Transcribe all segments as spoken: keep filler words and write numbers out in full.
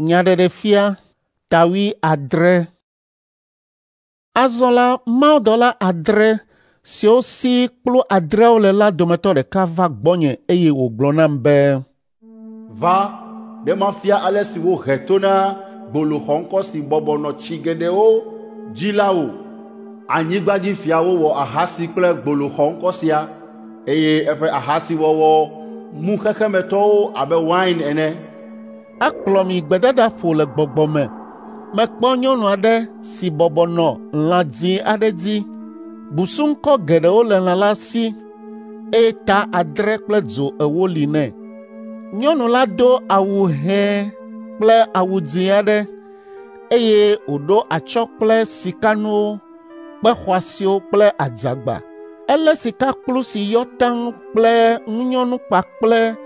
Nyaɖeɖefia ta wuiadre. Azɔ la mawudɔla adre siwo si kplu adreawo le la dometɔ ɖeka va gbɔnye eye wògblɔ nam be, "Va, ne mafia ale si wohe to na gbolo xɔŋkɔ si bɔbɔ nɔ tsi geɖewo dzi la wò. Anyigbadzifiawo wɔ ahasi kple gbolo xɔŋkɔ sia, eye eƒe ahasiwɔwɔ mu xexemetɔwo abe wain ene." Ekplɔm yi gbedadaƒo le gbɔgbɔ me. Mekpɔ nyɔnu aɖe si bɔbɔ nɔ lã dzĩ aɖe dzi. Busuŋkɔ geɖewo le lã la si eye ta adre kple dzo ewo li nɛ. Nyɔnu la do awu hɛ̃ kple awu dzĩ aɖe eye wòɖo atsyɔ̃ kple sikanuwo, kpe xɔasiwo kple adzagba. Elé sikakplu si yɔ taŋ kple ŋunyɔnu kpakple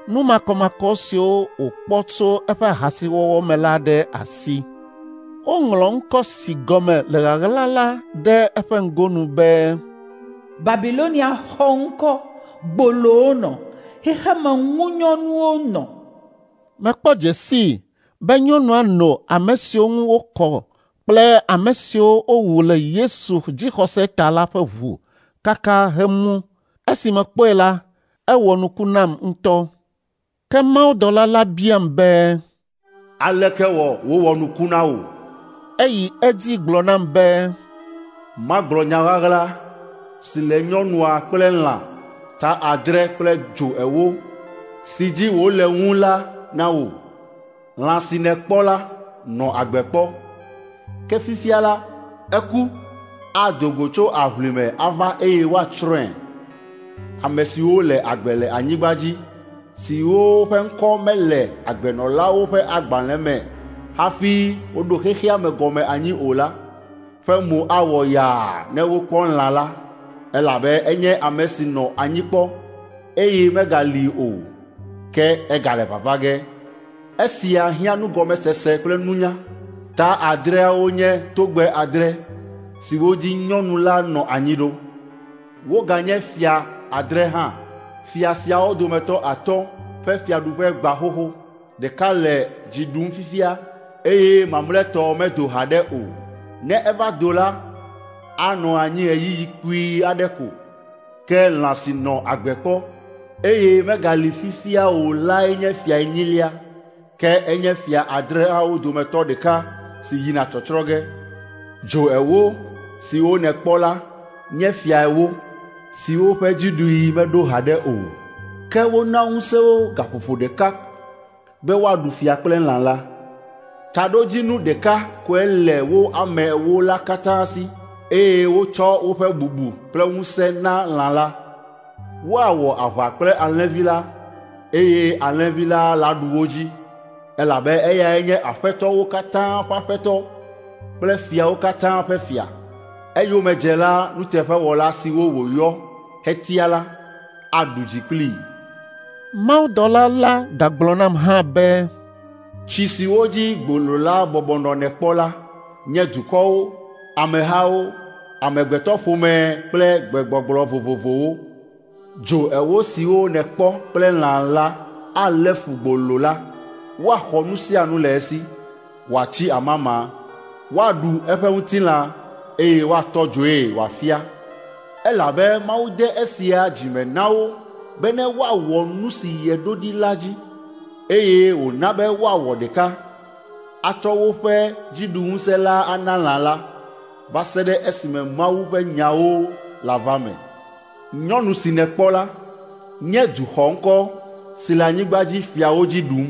nu makɔmakɔ siwo wòkpɔ tso eƒe ahasiwɔwɔ me la ɖe asi. Woŋlɔ ŋkɔ si gɔme le ɣaɣla la ɖe eƒe ŋgonu be, Babilonia xɔ ŋkɔ, gbolowo nɔ, xexeme ŋunyɔnuwo nɔ. Mekpɔ dze sii be nyɔnua no ame siwo ŋu wokɔ kple ame siwo wowu le Yesu dzixɔse ta la ƒe ʋu kaka hemu. Esi mekpɔe la, ewɔ nuku nam ŋutɔ. Ke mawudɔla la biam be, "Aleke wɔ wòwɔ nuku na wò?" Eyi edzi gblɔ nam be, "Magblɔ nya ɣaɣla si le nyɔnua kple lã ta adre kple dzo ewo si dzi wòle ŋu la na wò. Lã si nèkpɔ la nɔ agbe kpɔ, ke fifia la eku, ado go tso aʋlime ava eye woatsrɔ̃e. Ame siwo le agbe le anyigba dzi, siwo ƒe ŋkɔ mele agbenɔlawo ƒe agbalẽ me hafi woɖo xexea me gɔme anyi o la, ƒe mo awɔ yaa ne wokpɔ lã la, elabe enye ame si nɔ anyi kpɔ, eye megali o, ke egale vava ge. Esia hiã nugɔmesese kple nunya. Ta adreawo nye togbɛ adre siwo dzi nyɔnu la nɔ anyi ɖo. Woganye fia adre hã. Fia siawo dometɔ atɔ̃ ƒe fiaɖuƒe gbã xoxo, ɖeka le dzi ɖum fifia, eye mamlɛtɔ medo haɖe o. Ne eva do la, anɔ anyi ɣeyiɣi kpui aɖe ko. Ke lã si nɔ agbe kpɔ, eye megali fifia o lae nye fia enyilia, ke enye fia adreawo dometɔ ɖeka si yina tsɔtsrɔ̃ ge. Dzo ewo siwo nèkpɔ la nye fia ewo siwo ƒe dziɖuɣi meɖo haɖe o, ke wona ŋusẽ wo gaƒoƒo ɖeka be woaɖu fia kple lã la. Taɖodzinu ɖeka koe le wo ame ewo la katã si, eye wotsɔ woƒe bubu kple ŋusẽ na lã la. Woawɔ aʋa kple Alẽvi la, eye Alẽvi la laɖu wo dzi, elabe eyae nye aƒetɔwo katã ƒe Aƒetɔ kple fiawo katã ƒe Fia. Eyomedzela nuteƒewɔla siwo wòyɔ hetia la aɖu dzi kplii." Mawudɔla la gagblɔ nam hã be, "Tsi siwo dzi gbolo la bɔbɔ nɔ nèkpɔ la nye dukɔwo, amehawo, amegbetɔƒome kple gbegbɔgblɔ vovovowo. Dzo ewo siwo nèkpɔ kple lã la alé fu gbolo la. Woaxɔ nu sia nu le esi, wòatsi amama, woaɖu eƒe ŋutilã, eye woatɔ dzoe wòafia. Elabe Mawu de esia dzi me na wo bene woawɔ nu si yeɖo ɖi la dzi, eye wòna be woawɔ ɖeka, atsɔ woƒe dziɖuŋusẽ la ana lã la, va se ɖe esime Mawu ƒe nyawo lava me. Nyɔnu si nèkpɔ la nye du xɔŋkɔ si le anyigba dzi fiawo dzi ɖum."